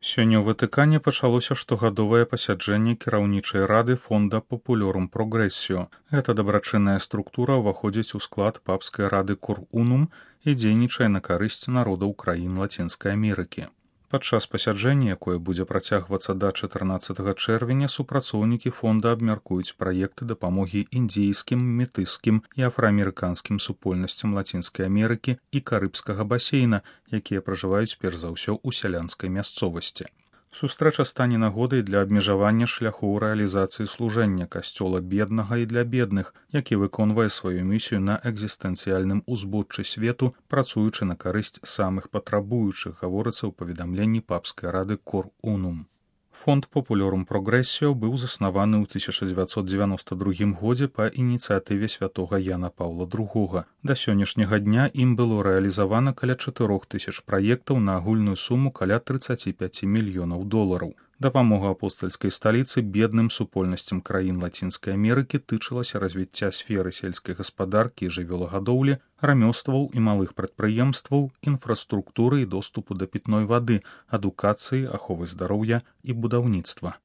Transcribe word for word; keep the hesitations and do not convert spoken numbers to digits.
Сёння ў Ватыкане пачалося штогадовае пасяджэнне кіраўнічай рады фонда Populorum Progressio. Гэта дабрачынная структура ўваходзіць у склад папскай рады Cor Unum і дзейнічае на карысць народаў краін Лацінскай Амерыкі. Падчас пасяджэння, якое будзе працягвацца да чатырнаццатага чэрвеня, супрацоўнікі фонда абмяркуюць праекты дапамогі індзейскім, метыскім і афраамерыканскім супольнасцям Лацінскай Амерыкі і карыбскага басейна, якія пражываюць перш за ўсё ў сялянскай мясцовасці. Сустрэча стане нагодай для абмежавання шляхоў рэалізацыі служэння касцёла беднага і для бедных, які выконвае сваю місію на экзістэнцыяльным узбоччы свету, працуючы на карысць самых патрабуючых, гаворыцца ў паведамленні папскай рады Cor Unum. Фонд Populorum Progressio быў заснаваны ў тысяча дзевяцьсот дзевяноста другім годзе па ініцыятыве святога Яна Паўла другога. Да сённяшняга дня ім было рэалізавана каля чатырох тысяч праектаў на агульную суму каля трыццаць пяць мільёнаў долараў. Дапамога апостальскай сталіцы бедным супольнасцям краін Лацінскай Амерыкі тычылася развіцця сферы сельскай гаспадаркі і жывёлагадоўлі, рамёстваў і малых прадпрыемстваў, інфраструктуры і доступу да пітной вады, адукацыі, аховы здароўя і будаўніцтва.